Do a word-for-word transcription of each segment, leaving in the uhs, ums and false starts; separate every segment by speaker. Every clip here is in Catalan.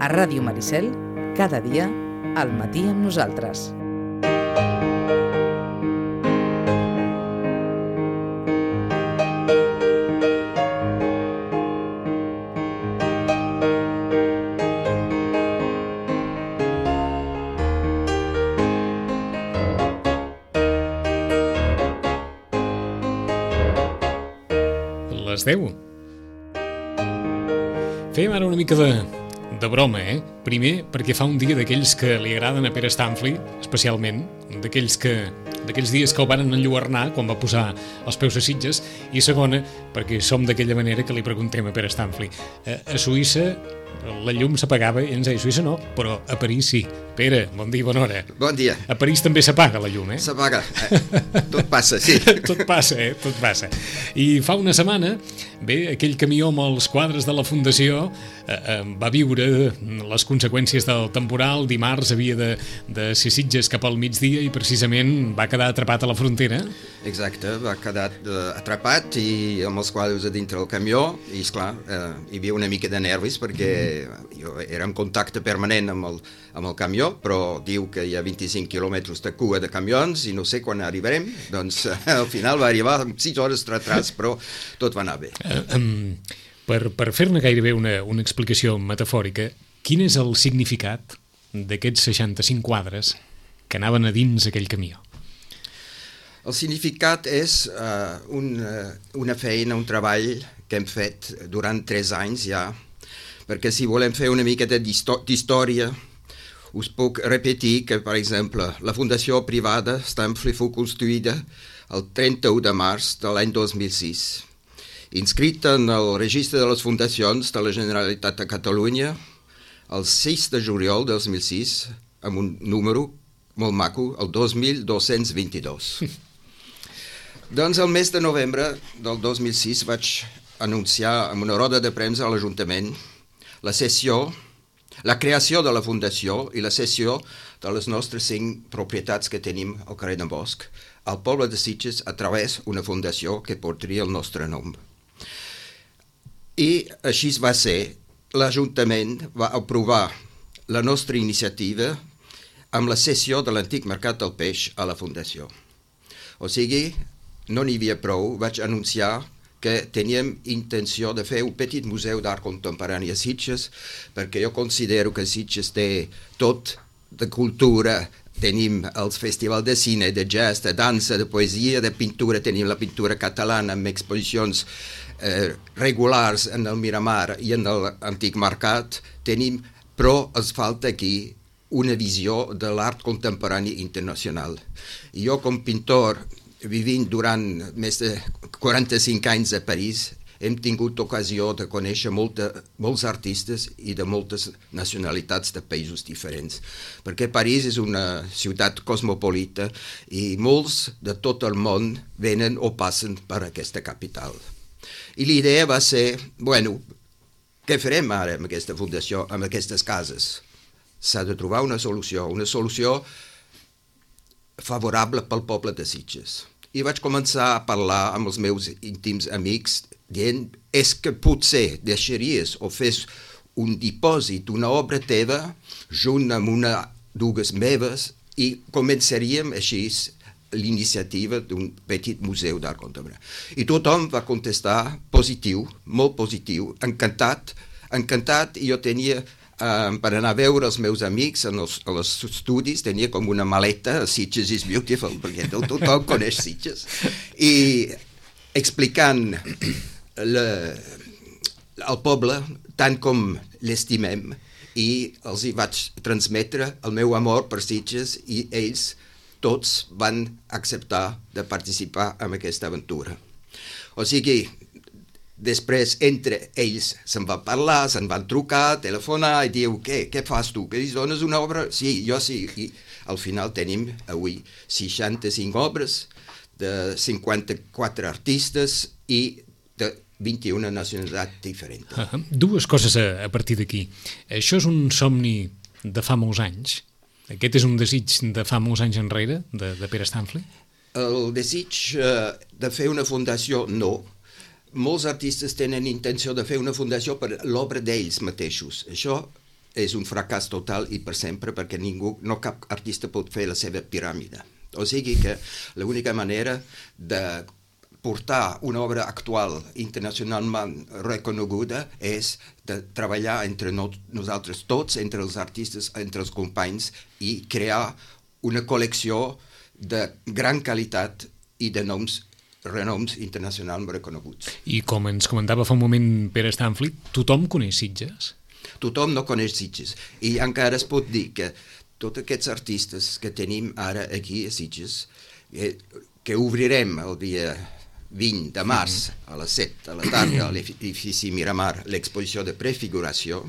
Speaker 1: A Ràdio Maricel, cada dia, al matí amb nosaltres.
Speaker 2: Les deu. Fem ara una mica de, de broma, eh? Primer, perquè fa un dia d'aquells que li agraden a Pere Stanfli, especialment, d'aquells que d'aquells dies que el van enlluernar quan va posar els peus a Sitges, i segona, perquè som d'aquella manera que li preguntem a Pere Stanfli. A, a Suïssa la llum s'apagava i ens deia, a Suïssa no, però a París sí. Pere, bon dia, bona hora.
Speaker 3: Bon dia.
Speaker 2: A París també s'apaga la llum, eh?
Speaker 3: S'apaga. Eh, tot passa, sí.
Speaker 2: Tot passa, eh? Tot passa. I fa una setmana, bé, aquell camió amb els quadres de la Fundació eh, eh, va viure les conseqüències del temporal. Dimarts havia de, de ser Sitges cap al migdia i precisament va quedar atrapat a la frontera.
Speaker 3: Exacte, va quedar uh, atrapat i amb els quadres a dintre del camió i, esclar, uh, hi havia una mica de nervis perquè jo era en contacte permanent amb el, amb el camió, però diu que hi ha vint-i-cinc quilòmetres de cua de camions i no sé quan arribarem, doncs uh, al final va arribar amb sis hores de retras, però tot va anar bé.
Speaker 2: Uh, um, per per fer-ne gairebé una, una explicació metafòrica, quin és el significat d'aquests seixanta-cinc quadres que anaven a dins aquell camió?
Speaker 3: El significat és uh, un, uh, una feina, un treball que hem fet durant tres anys ja, perquè si volem fer una miqueta d'història, us puc repetir que, per exemple, la fundació privada Stanfli fou construïda el trenta-u de març de l'any dos mil sis, inscrita en el registre de les fundacions de la Generalitat de Catalunya el sis de juliol del dos mil sis, amb un número molt maco, el dos mil dos-cents vint-i-dos. Doncs el mes de novembre del dos mil sis vaig anunciar en una roda de premsa a l'Ajuntament la cessió, la creació de la Fundació i la cessió de les nostres cinc propietats que tenim al carrer d'en Bosch al poble de Sitges a través d'una fundació que portaria el nostre nom. I així va ser. L'Ajuntament va aprovar la nostra iniciativa amb la cessió de l'antic mercat del peix a la Fundació. O sigui, no n'hi havia prou, vaig anunciar que teníem intenció de fer un petit museu d'art contemporani a Sitges, perquè jo considero que Sitges té tot de cultura. Tenim els festivals de cine, de jazz, de dansa, de poesia, de pintura. Tenim la pintura catalana amb exposicions eh, regulars en el Miramar i en l'antic mercat. Tenim, però ens falta aquí una visió de l'art contemporani internacional. I jo, com pintor, vivint durant més de quaranta-cinc anys a París, hem tingut ocasió de conèixer molta, molts artistes i de moltes nacionalitats de països diferents, perquè París és una ciutat cosmopolita i molts de tot el món venen o passen per aquesta capital. I l'idea va ser, bueno, què farem ara amb aquesta fundació, amb aquestes cases? S'ha de trobar una solució, una solució favorable pel poble de Sitges. I vaig començar a parlar amb els meus íntims amics dient, és que potser deixaries o fes un dipòsit d'una obra teva junt amb una dues meves i començaríem així l'iniciativa d'un petit museu d'art contemporani. I tothom va contestar positiu, molt positiu, encantat, encantat, i jo tenia Um, per anar a veure els meus amics en els, en els estudis, tenia com una maleta, Sitges is beautiful, perquè tothom coneix Sitges, i explicant le, al poble tant com l'estimem, i els hi vaig transmetre el meu amor per Sitges, i ells tots van acceptar de participar en aquesta aventura. O sigui, després, entre ells, se'n va parlar, se'n van trucar, telefonar, i diu, què, què fas tu? Que dones una obra? Sí, jo sí. I al final tenim avui seixanta-cinc obres de cinquanta-quatre artistes i de vint-i-una nacionalitats diferents.
Speaker 2: Uh -huh. Dues coses a, a partir d'aquí. Això és un somni de fa molts anys? Aquest és un desig de fa molts anys enrere, de, de Pere Stanfli?
Speaker 3: El desig uh, de fer una fundació, no. Molts artistes tenen intenció de fer una fundació per l'obra d'ells mateixos. Això és un fracàs total i per sempre, perquè ningú, no cap artista pot fer la seva piràmide. O sigui que l'única manera de portar una obra actual internacionalment reconeguda és de treballar entre no, nosaltres tots, entre els artistes, entre els companys, i crear una col·lecció de gran qualitat i de noms renoms internacionalment reconeguts.
Speaker 2: I com ens comentava fa un moment Pere Stanfli, tothom coneix Sitges?
Speaker 3: Tothom no coneix Sitges, i encara es pot dir que tots aquests artistes que tenim ara aquí a Sitges, que, que obrirem el dia vint de març a les set de la tarda a l'edifici Miramar l'exposició de prefiguració,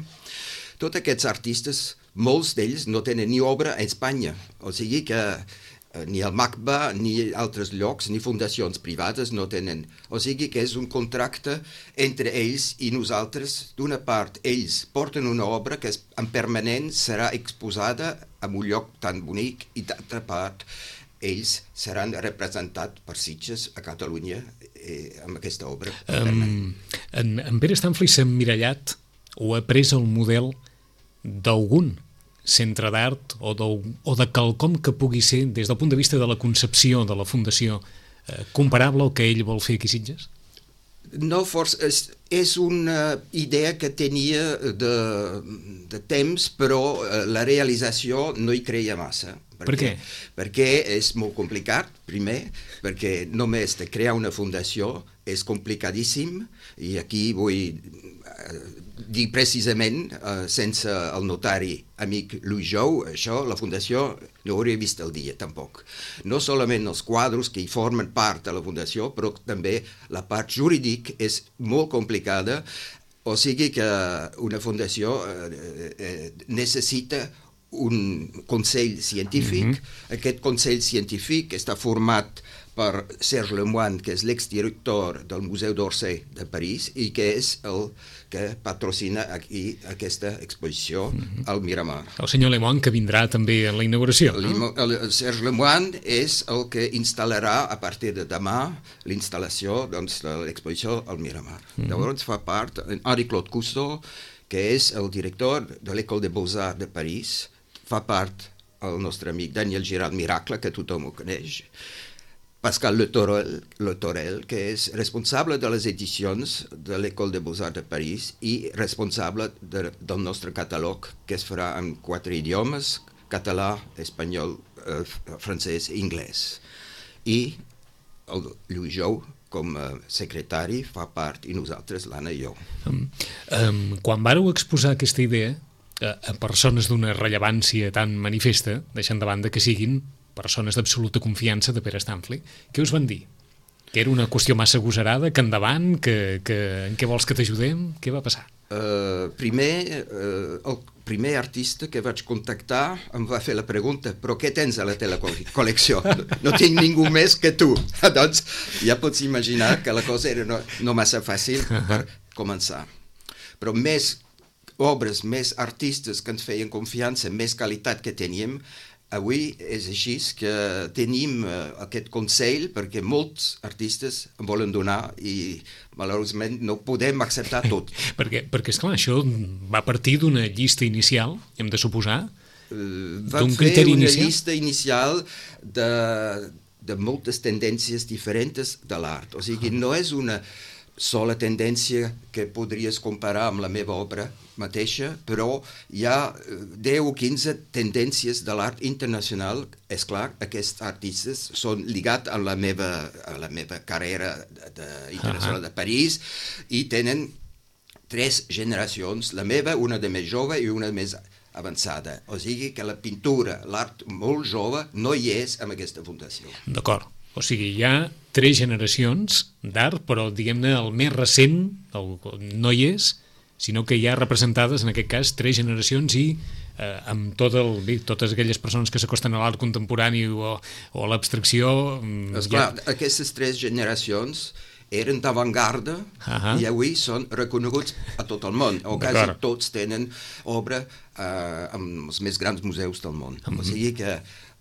Speaker 3: tots aquests artistes, molts d'ells no tenen ni obra a Espanya, o sigui que ni el MACBA, ni altres llocs, ni fundacions privades no tenen. O sigui que és un contracte entre ells i nosaltres. D'una part, ells porten una obra que en permanent serà exposada en un lloc tan bonic, i d'altra part, ells seran representats per Sitges a Catalunya eh, amb aquesta obra.
Speaker 2: Um, en, en Pere Stanfli s'ha emmirallat o ha pres el model d'algun centre d'art o de, o de quelcom que pugui ser, des del punt de vista de la concepció de la fundació, eh, comparable al que ell vol fer aquí a Sitges?
Speaker 3: No, força, és, és una idea que tenia de, de temps, però eh, la realització no hi creia massa.
Speaker 2: Per què?
Speaker 3: Perquè és molt complicat, primer, perquè només de crear una fundació és complicadíssim, i aquí vull eh, dir precisament, eh, sense el notari amic Louis Jou, això, la fundació no hauria vist el dia, tampoc. No solament els quadros que hi formen part de la fundació, però també la part jurídica és molt complicada, o sigui que una fundació eh, eh, necessita un consell científic. Mm-hmm. Aquest consell científic està format per Serge Lemoine, que és l'exdirector del Museu d'Orsay de París i que és el que patrocina aquí aquesta exposició mm-hmm. al Miramar.
Speaker 2: El senyor Lemoine, que vindrà també a la inauguració.
Speaker 3: No? El, el Serge Lemoine és el que instal·larà a partir de demà l'instal·lació doncs, de l'exposició al Miramar. Mm-hmm. Llavors fa part Henri-Claude Cousteau, que és el director de l'École des Beaux-Arts de París, fa part el nostre amic Daniel Girard Miracle, que tothom ho coneix, Pascal Le Torel, Le Torel, que és responsable de les edicions de l'École des Beaux-Arts de París i responsable de, del nostre catàleg, que es farà en quatre idiomes, català, espanyol, eh, francès i anglès. I el Louis Jou, com a secretari, fa part, i nosaltres, l'Anna i jo.
Speaker 2: Um, um, quan vàreu exposar aquesta idea a, a persones d'una rellevància tan manifesta, deixant de banda que siguin persones d'absoluta confiança de Pere Stanfli, què us van dir? Que era una qüestió massa agosarada, que endavant, que, que en què vols que t'ajudem? Què va passar?
Speaker 3: Uh, primer, uh, el primer artista que vaig contactar em va fer la pregunta: però què tens a la teva col·lecció? No tinc ningú més que tu. Doncs ja pots imaginar que la cosa era no, no massa fàcil per començar. Però més obres, més artistes que ens feien confiança, més qualitat que teníem, avui és així que tenim uh, aquest consell perquè molts artistes en volen donar i malauradament no podem acceptar tot.
Speaker 2: perquè, perquè esclar, això va partir d'una llista inicial, hem de suposar,
Speaker 3: uh, d'un criteri inicial? Vam fer una llista inicial de, de moltes tendències diferents de l'art. O sigui, no és una sola tendència que podries comparar amb la meva obra mateixa, però hi ha deu o quinze tendències de l'art internacional. És clar, aquests artistes són lligats a la meva, a la meva carrera de, de, internacional de París i tenen tres generacions, la meva, una de més jove i una de més avançada. O sigui que la pintura, l'art molt jove, no hi és en aquesta fundació.
Speaker 2: D'acord. O sigui, hi ha tres generacions d'art, però, diguem-ne, el més recent el, no hi és, sinó que hi ha representades, en aquest cas, tres generacions i eh, amb tot el, bé, totes aquelles persones que s'acosten a l'art contemporani o, o a l'abstracció...
Speaker 3: Esclar, ja... aquestes tres generacions eren d'avantgarda uh-huh. i avui són reconeguts a tot el món. O quasi tots tenen obra eh, amb els més grans museus del món. Uh-huh. O sigui que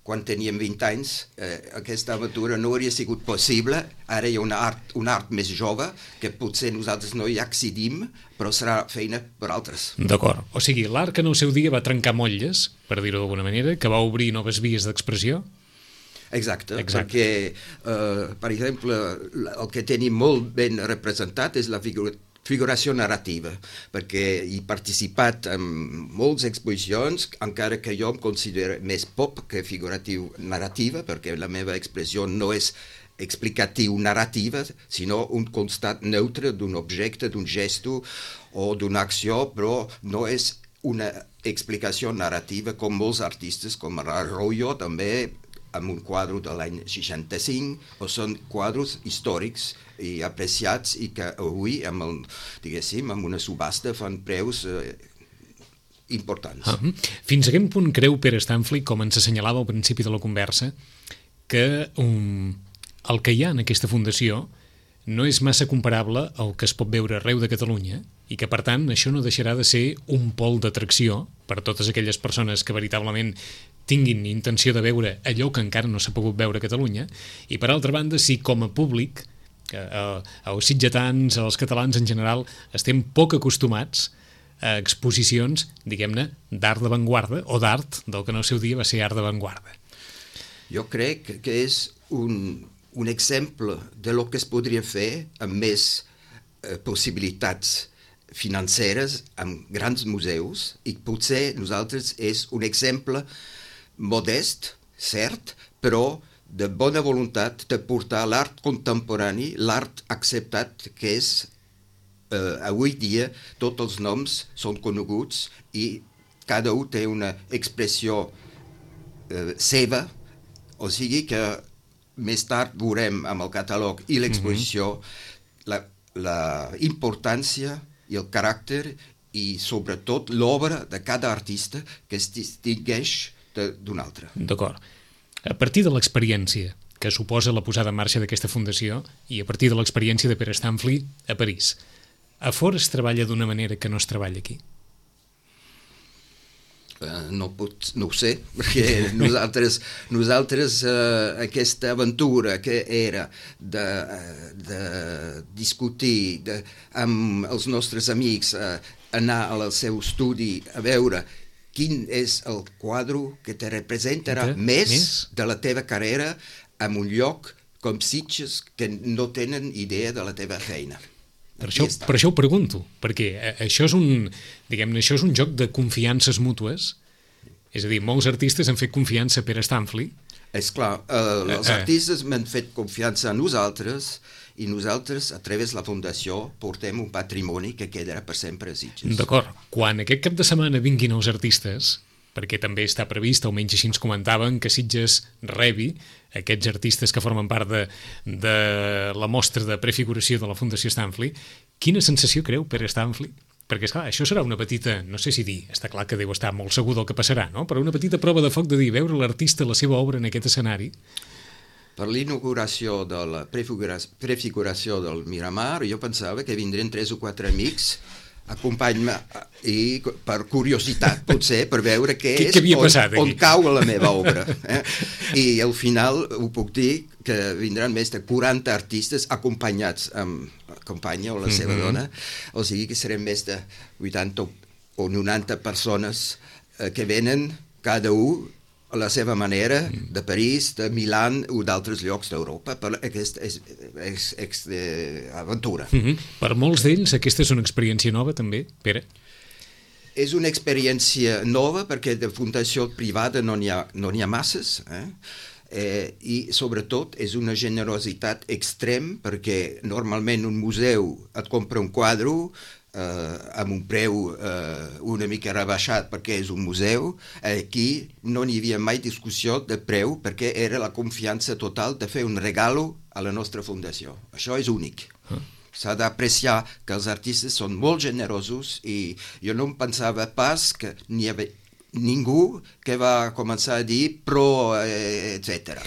Speaker 3: quan teníem vint anys, eh, aquesta aventura no hauria sigut possible. Ara hi ha una art, un art més jove que potser nosaltres no hi accedim, però serà feina per altres.
Speaker 2: D'acord. O sigui, l'art que en el seu dia va trencar motlles, per dir-ho d'alguna manera, que va obrir noves vies d'expressió.
Speaker 3: Exacte,
Speaker 2: Exacte.
Speaker 3: perquè, eh, per exemple, el que tenim molt ben representat és la figura figuració narrativa, perquè he participat en moltes exposicions, encara que jo em considero més pop que figuratiu narrativa, perquè la meva expressió no és explicatiu narrativa, sinó un constat neutre d'un objecte, d'un gesto o d'una acció, però no és una explicació narrativa com molts artistes, com Arroyo també, amb un quadre de l'any seixanta-cinc, o són quadres històrics i apreciats i que avui, amb, el, diguéssim, amb una subhasta fan preus eh, importants.
Speaker 2: Ah, fins a quin punt creu Pere Stanfli, com ens assenyalava al principi de la conversa, que um, el que hi ha en aquesta fundació no és massa comparable al que es pot veure arreu de Catalunya i que, per tant, això no deixarà de ser un pol d'atracció per a totes aquelles persones que veritablement tinguin intenció de veure allò que encara no s'ha pogut veure a Catalunya, i per altra banda, si com a públic, eh, els sitgetans, els catalans en general, estem poc acostumats a exposicions, diguem-ne, d'art d'avantguarda, o d'art del que en el seu dia va ser art d'avantguarda.
Speaker 3: Jo crec que és un, un exemple de lo que es podria fer amb més eh, possibilitats financeres, amb grans museus, i potser nosaltres és un exemple modest, cert, però de bona voluntat de portar l'art contemporani, l'art acceptat que és, eh, avui dia, tots els noms són coneguts i cada un té una expressió eh, seva, o sigui que més tard veurem amb el catàleg i l'exposició mm-hmm. la, la importància i el caràcter i sobretot l'obra de cada artista que es distingueix d'un altre.
Speaker 2: D'acord. A partir de l'experiència que suposa la posada en marxa d'aquesta fundació i a partir de l'experiència de Pere Stanfli a París, a fora es treballa d'una manera que no es treballa aquí?
Speaker 3: Uh, no, pot, no ho sé, perquè nosaltres, nosaltres uh, aquesta aventura que era de, uh, de discutir de, amb els nostres amics, uh, anar al seu estudi a veure quin és el quadre que te representarà més, més de la teva carrera en un lloc com Sitges que no tenen idea de la teva feina.
Speaker 2: Per això, per això ho pregunto, perquè això és un, diguem-ne, això és un joc de confiances mútues, és a dir, molts artistes han fet confiança a Pere Stanfli.
Speaker 3: És clar, eh, els artistes m'han fet confiança a nosaltres i nosaltres, a través de la Fundació, portem un patrimoni que quedarà per sempre a Sitges.
Speaker 2: D'acord. Quan aquest cap de setmana vinguin els artistes, perquè també està previst, almenys així ens comentaven, que Sitges rebi aquests artistes que formen part de, de la mostra de prefiguració de la Fundació Stanfli, quina sensació creu Pere Stanfli? Perquè, esclar, això serà una petita, no sé si dir, està clar que deu estar molt segur del que passarà, no? Però una petita prova de foc de dir, veure l'artista, la seva obra en aquest escenari.
Speaker 3: Per l'inauguració de la prefiguració del Miramar, jo pensava que vindrien tres o quatre amics acompany-me i per curiositat, potser, per veure què és,
Speaker 2: què havia passat
Speaker 3: on, on cau la meva obra. Eh? I al final ho puc dir que vindran més de quaranta artistes acompanyats amb la companya o la seva mm-hmm. dona, o sigui que serem més de vuitanta o noranta persones eh, que venen cada un a la seva manera, de París, de Milà o d'altres llocs d'Europa, per aquesta és, és, és, és, aventura.
Speaker 2: Mm-hmm. Per molts d'ells aquesta és una experiència nova també, Pere?
Speaker 3: És una experiència nova perquè de fundació privada no n'hi ha, no n'hi ha masses, eh? Eh, i sobretot és una generositat extrem perquè normalment un museu et compra un quadre Uh, amb un preu uh, una mica rebaixat perquè és un museu. Aquí no n'hi havia mai discussió de preu perquè era la confiança total de fer un regalo a la nostra fundació. Això és únic. Uh. S'ha d'apreciar que els artistes són molt generosos i jo no em pensava pas que n'hi havia ningú que va començar a dir pro, eh, et cetera.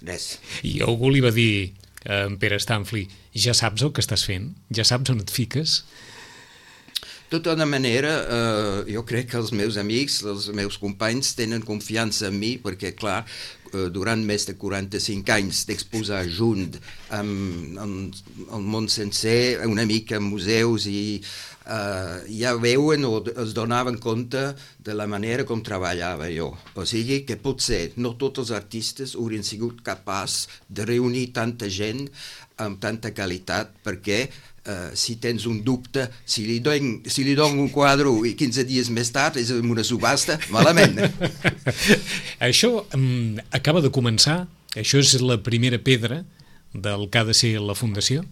Speaker 3: Res.
Speaker 2: I algú li va dir a en Pere Stanfli, ja saps el que estàs fent? Ja saps on et fiques?
Speaker 3: De tota manera, eh, jo crec que els meus amics, els meus companys tenen confiança en mi perquè, clar, eh, durant més de quaranta-cinc anys d'exposar junt amb, amb el món sencer, una mica en museus i eh, ja veuen o es donaven compte de la manera com treballava jo. O sigui que potser no tots els artistes haurien sigut capaços de reunir tanta gent amb tanta qualitat perquè Uh, si tens un dubte, si li dono si li dono un quadre i quinze dies més tard és una subhasta, malament.
Speaker 2: Això um, acaba de començar? Això és la primera pedra del que ha de ser la Fundació?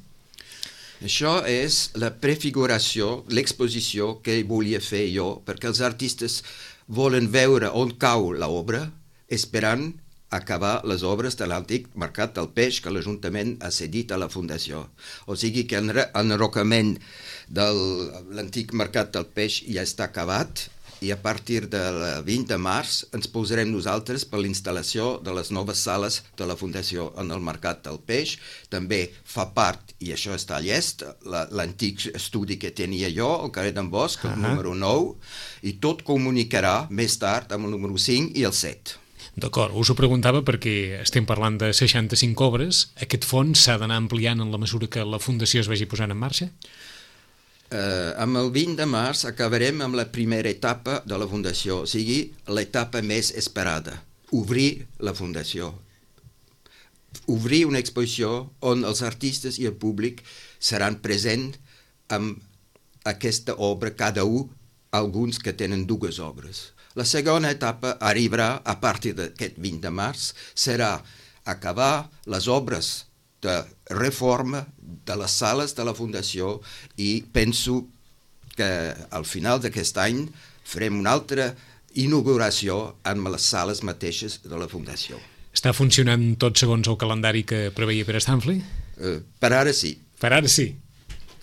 Speaker 3: Això és la prefiguració, l'exposició que volia fer jo, perquè els artistes volen veure on cau l'obra, esperant acabar les obres de l'antic Mercat del Peix que l'Ajuntament ha cedit a la Fundació. O sigui que l'enrocament de l'antic Mercat del Peix ja està acabat i a partir del vint de març ens posarem nosaltres per l'instal·lació de les noves sales de la Fundació en el Mercat del Peix. També fa part, i això està llest, l'antic estudi que tenia jo, el carrer d'en Bosch, el uh-huh. número nou, i tot comunicarà més tard amb el número cinc i el set.
Speaker 2: D'acord, us ho preguntava perquè estem parlant de seixanta-cinc obres. Aquest fons s'ha d'anar ampliant en la mesura que la Fundació es vagi posant en marxa?
Speaker 3: Uh, amb el vint de març acabarem amb la primera etapa de la Fundació, o sigui, l'etapa més esperada, obrir la Fundació. Obrir una exposició on els artistes i el públic seran presents amb aquesta obra, cada un, alguns que tenen dues obres. La segona etapa arribarà a partir d'aquest vint de març, serà acabar les obres de reforma de les sales de la Fundació i penso que al final d'aquest any farem una altra inauguració amb les sales mateixes de la Fundació.
Speaker 2: Està funcionant tot segons el calendari que preveia Pere Stanfli?
Speaker 3: Uh, per ara sí.
Speaker 2: Per ara sí.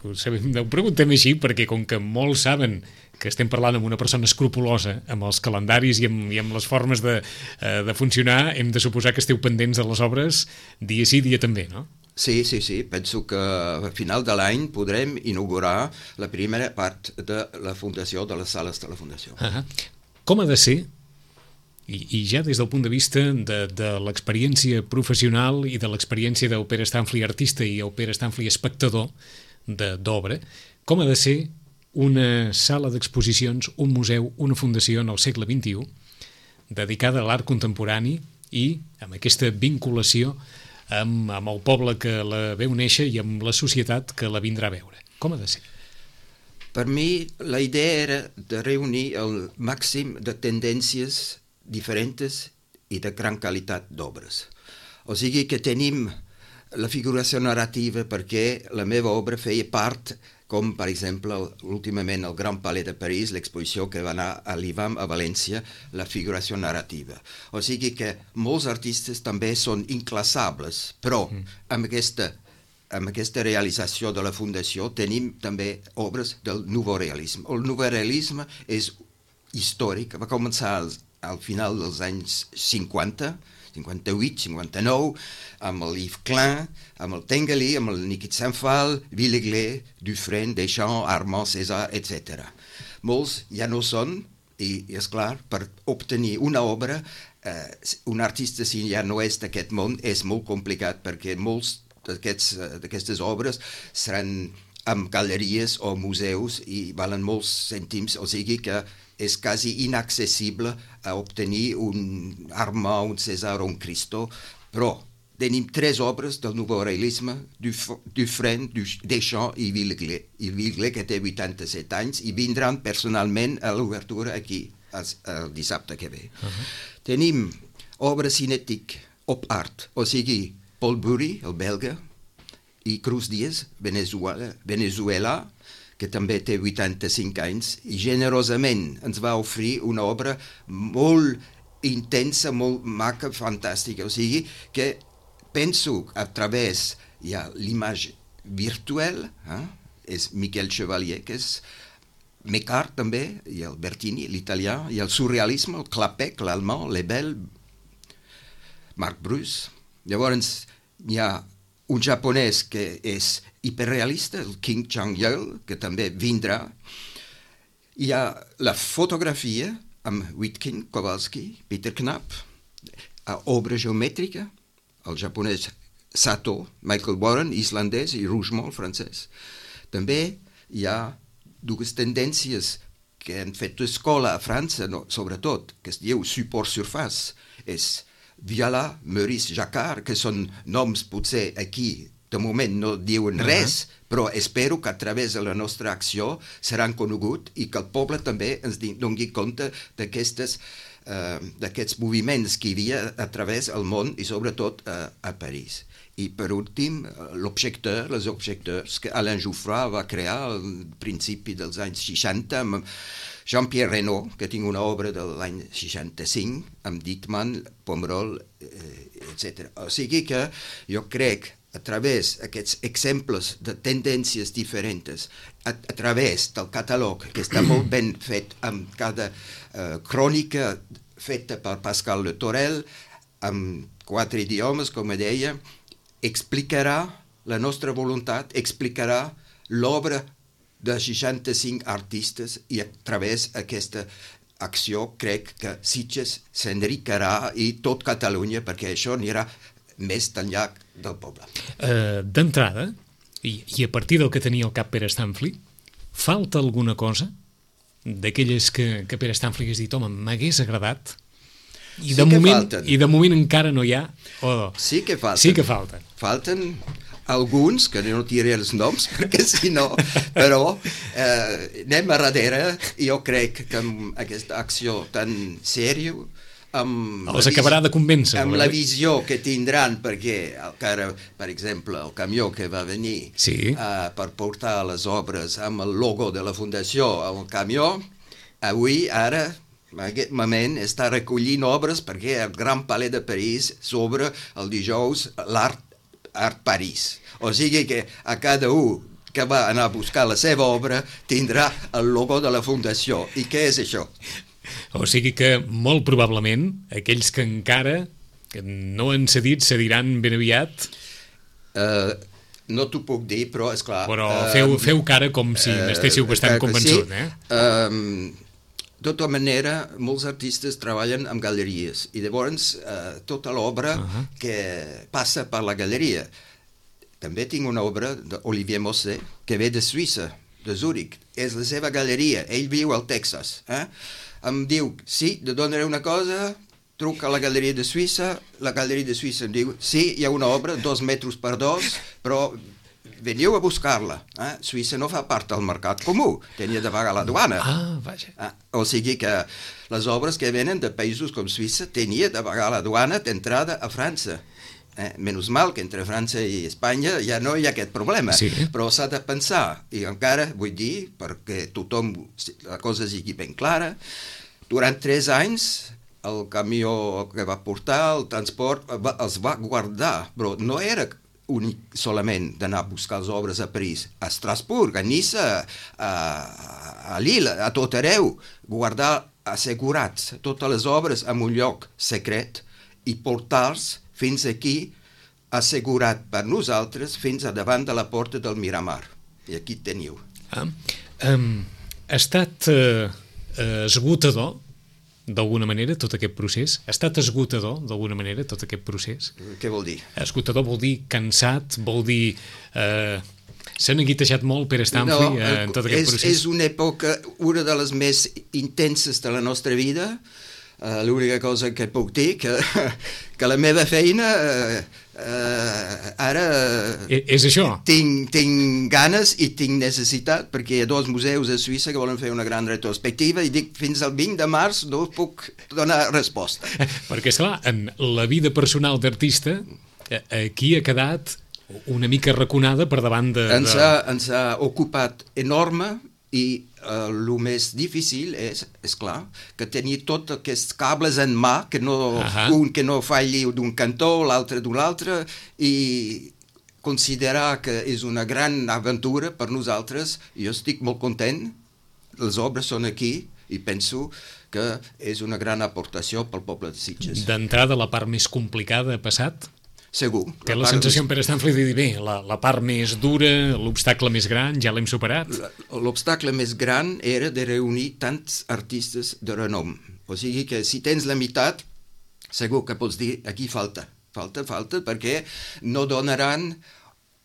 Speaker 2: Ho, sabem, ho preguntem així perquè com que molts saben que estem parlant amb una persona escrupulosa amb els calendaris i amb, i amb les formes de, uh, de funcionar, hem de suposar que esteu pendents de les obres dia sí, dia també, no?
Speaker 3: Sí, sí, sí. Penso que a final de l'any podrem inaugurar la primera part de la Fundació, de les sales de la Fundació.
Speaker 2: Uh-huh. Com ha de ser, i, i ja des del punt de vista de, de l'experiència professional i de l'experiència del Pere Stanfli artista i el Pere Stanfli espectador d'obra, com ha de ser una sala d'exposicions, un museu, una fundació en el segle vint-i-u dedicada a l'art contemporani i amb aquesta vinculació amb, amb el poble que la veu néixer i amb la societat que la vindrà a veure. Com ha de ser?
Speaker 3: Per mi, la idea era de reunir el màxim de tendències diferents i de gran qualitat d'obres. O sigui que tenim la figuració narrativa perquè la meva obra feia part, com per exemple últimament al Gran Palais de París, l'exposició que va anar a l'I V A M a València, la figuració narrativa. O sigui que molts artistes també són inclassables, però amb aquesta, amb aquesta realització de la Fundació tenim també obres del nouveau realisme. El nouveau realisme és històric, va començar al, al final dels anys cinquanta, cinquanta-vuit, cinquanta-nou, amb el Yves Klein, amb el Tinguely, amb el Nikit Saint-Phal, Villeglé, Dufresne, Deschamps, Armand, César, etcètera. Molts ja no són, i, i és clar, per obtenir una obra, eh, un artista si ja no és d'aquest món, és molt complicat, perquè molts d'aquestes obres seran amb galeries o museus i valen molts cèntims, o sigui que és quasi inaccessible a obtenir un Armand, un César o un Christo, però tenim tres obres del nouveau realisme, Dufresne, Deschamps i Villeglé. I Villeglé, que té vuitanta-set anys, i vindran personalment a l'obertura aquí, el, el dissabte que ve. Uh-huh. Tenim obra cinètic, op art, o sigui, Paul Bury, el belga, i Cruz Díaz, Venezuela, Venezuela, que també té vuitanta-cinc anys, i generosament ens va oferir una obra molt intensa, molt maca, fantàstica. O sigui que penso a través hi ha l'image virtual, eh? És Miquel Chevalier, que és Mécart també, i el Bertini, l'italià, i el surrealisme, el Clapec, l'allemand, Lebel, Marc Bruce. Llavors hi ha un japonès que és hiperrealista, el King Chang-il, que també vindrà. Hi ha la fotografia amb Witkin, Kowalski, Peter Knapp, a obra geomètrica, el japonès Sato, Michael Warren, islandès, i Rougemont, francès. També hi ha dues tendències que han fet escola a França, no, sobretot, que es diu support surface, és Viala, Maurice Jacquard, que són noms potser aquí, de moment no diuen res, uh-huh. però espero que a través de la nostra acció seran coneguts i que el poble també ens doni compte d'aquestes Uh, d'aquests moviments que hi havia a través del món i sobretot uh, a París. I per últim, uh, l'objecteur, les objecteurs que Alain Jouffroy va crear al principi dels anys seixanta amb Jean-Pierre Reynaud, que tinc una obra de l'any seixanta-cinc, amb Dittmann, Pomerol, eh, etcètera. O sigui que jo crec a través d'aquests exemples de tendències diferents, a, a través del catàleg, que està molt ben fet amb cada uh, crònica feta per Pascal Le Torel, amb quatre idiomes, com deia, explicarà la nostra voluntat, explicarà l'obra de seixanta-cinc artistes i a través d'aquesta acció crec que Sitges s'enriquirà i tot Catalunya, perquè això anirà més enllà del poble.
Speaker 2: Uh, D'entrada, i, i a partir del que tenia al cap Pere Stanfli, falta alguna cosa d'aquelles que, que Pere Stanfli hagués dit, home, m'hagués agradat, i de,
Speaker 3: sí
Speaker 2: moment, i de moment encara no hi ha, o...
Speaker 3: Sí que falten.
Speaker 2: Sí que falten.
Speaker 3: Falten alguns, que no tiré els noms, perquè si no, però eh, anem a darrere, i jo crec que amb aquesta acció tan sèria, amb
Speaker 2: els acabarà de convèncer.
Speaker 3: Amb la visió que tindran, perquè encara, per exemple, el camió que va venir
Speaker 2: sí.
Speaker 3: uh, per portar les obres amb el logo de la Fundació al camió, avui, ara, en aquest moment, està recollint obres perquè el Gran Palais de París s'obre el dijous l'Art Art París. O sigui que a cada un que va anar a buscar la seva obra tindrà el logo de la Fundació. I què és això?
Speaker 2: O sigui que, molt probablement, aquells que encara que no han cedit, cediran ben aviat.
Speaker 3: Uh, no t'ho puc dir, però, esclar...
Speaker 2: Però feu, uh, feu cara com si uh, n'estéssiu bastant convençut,
Speaker 3: sí.
Speaker 2: eh?
Speaker 3: Uh, de tota manera, molts artistes treballen amb galeries, i llavors uh, tota l'obra uh-huh. que passa per la galeria. També tinc una obra d'Olivier Mosset, que ve de Suïssa, de Zúrich. És la seva galeria, ell viu al Texas, eh? Em diu, sí, te donaré una cosa, truca a la Galeria de Suïssa, la Galeria de Suïssa em diu, sí, hi ha una obra, dos metres per dos, però veniu a buscar-la. Eh? Suïssa no fa part del mercat comú, tenia de pagar la duana.
Speaker 2: Ah, vaja.
Speaker 3: Eh? O sigui que les obres que venen de països com Suïssa tenia de pagar la duana d'entrada a França. Eh, menys mal que entre França i Espanya ja no hi ha aquest problema,
Speaker 2: sí.
Speaker 3: però s'ha de pensar, i encara vull dir, perquè tothom, la cosa sigui ben clara, durant tres anys el camió que va portar, el transport, va, els va guardar, però no era únic solament d'anar a buscar les obres a París, a Estrasburg, a Niça, a, a Lille, a tot arreu, guardar assegurats totes les obres en un lloc secret i portar-los fins aquí, assegurat per nosaltres, fins a davant de la porta del Miramar. I aquí teniu.
Speaker 2: Ah, um, ha estat uh, esgotador, d'alguna manera, tot aquest procés? Ha estat esgotador, d'alguna manera, tot aquest procés?
Speaker 3: Què vol dir?
Speaker 2: Esgotador vol dir cansat, vol dir... Uh, s'ha neguitejat molt Pere Stanfli no, uh, en tot aquest
Speaker 3: és,
Speaker 2: procés?
Speaker 3: És una època, una de les més intenses de la nostra vida. Uh, l'única cosa que puc dir que, que la meva feina uh, uh, ara
Speaker 2: e és això
Speaker 3: tinc, tinc ganes i tinc necessitat, perquè hi ha dos museus a Suïssa que volen fer una gran retrospectiva i dic fins al vint de març no puc donar resposta
Speaker 2: perquè esclar, en la vida personal d'artista aquí ha quedat una mica raconada per davant de...
Speaker 3: ens ha, ens ha ocupat enorme i uh, el més difícil és, és clar, que tenir tots aquests cables en mà, que no, uh-huh. un que no falli d'un cantó, l'altre d'un altre, i considerar que és una gran aventura per nosaltres. Jo estic molt content, les obres són aquí, i penso que és una gran aportació pel poble de Sitges.
Speaker 2: D'entrada, la part més complicada ha passat?
Speaker 3: segur.
Speaker 2: Té la, la sensació, en Pere Stanfli, de dir, bé, la, la part més dura, l'obstacle més gran, ja l'hem superat?
Speaker 3: L'obstacle més gran era de reunir tants artistes de renom. O sigui que si tens la meitat, segur que pots dir, aquí falta, falta, falta, perquè no donaran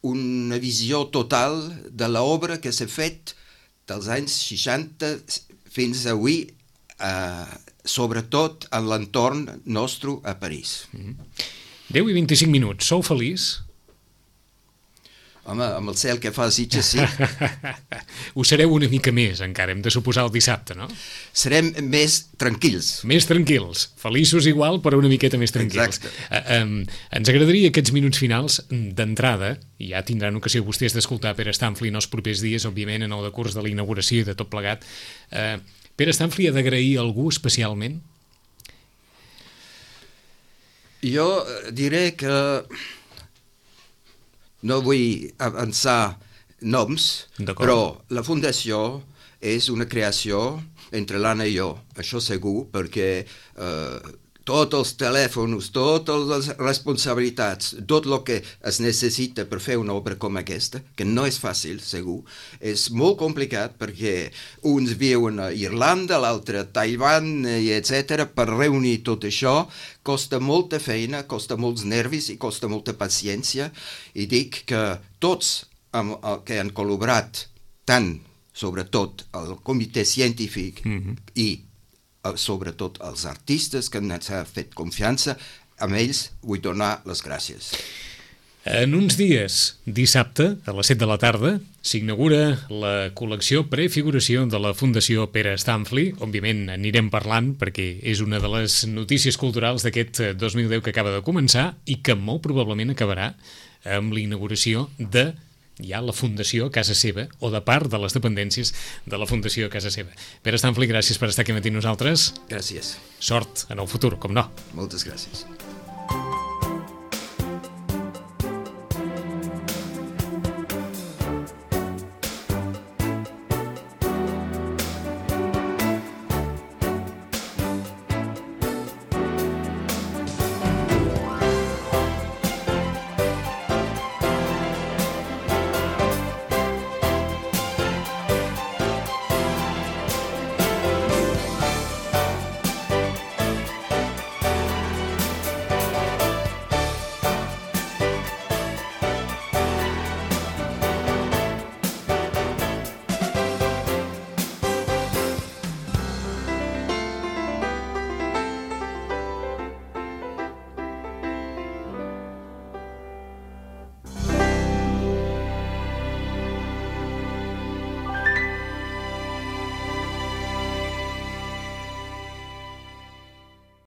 Speaker 3: una visió total de l'obra que s'ha fet dels anys seixanta fins avui, eh, sobretot en l'entorn nostre a París.
Speaker 2: Mm-hmm. deu i vint-i-cinc minuts, sou feliç?
Speaker 3: Home, amb el cel que fa Sitges, sí.
Speaker 2: Ho sereu una mica més, encara, hem de suposar el dissabte, no?
Speaker 3: Serem més tranquils.
Speaker 2: Més tranquils, feliços igual, però una miqueta més tranquils.
Speaker 3: Exacte.
Speaker 2: Uh, um, ens agradaria aquests minuts finals d'entrada, i ja tindran ocasió vostès d'escoltar Pere Stanfli en els propers dies, òbviament, en el decurs de la inauguració i de tot plegat. Uh, Pere Stanfli ha d'agrair a algú especialment?
Speaker 3: Jo diré que no vull avançar noms, però la fundació és una creació entre l'Anna i jo, això segur, perquè eh, tots els telèfons, totes les responsabilitats, tot el que es necessita per fer una obra com aquesta, que no és fàcil, segur, és molt complicat perquè uns viuen a Irlanda, l'altre a Taiwan, i etcètera. Per reunir tot això costa molta feina, costa molts nervis i costa molta paciència, i dic que tots amb, que han col·laborat tant, sobretot el comitè científic mm-hmm. i sobretot els artistes que ens han fet confiança, amb ells vull donar les gràcies.
Speaker 2: En uns dies, dissabte, a les set de la tarda, s'inaugura la col·lecció Prefiguració de la Fundació Pere Stanfli. Òbviament anirem parlant perquè és una de les notícies culturals d'aquest dos mil deu que acaba de començar i que molt probablement acabarà amb la inauguració de ja la Fundació Casa Seva, o de part de les dependències de la Fundació Casa Seva. Pere Stanfli, gràcies per estar aquí matí amb nosaltres.
Speaker 3: Gràcies.
Speaker 2: Sort en el futur, com no.
Speaker 3: Moltes gràcies.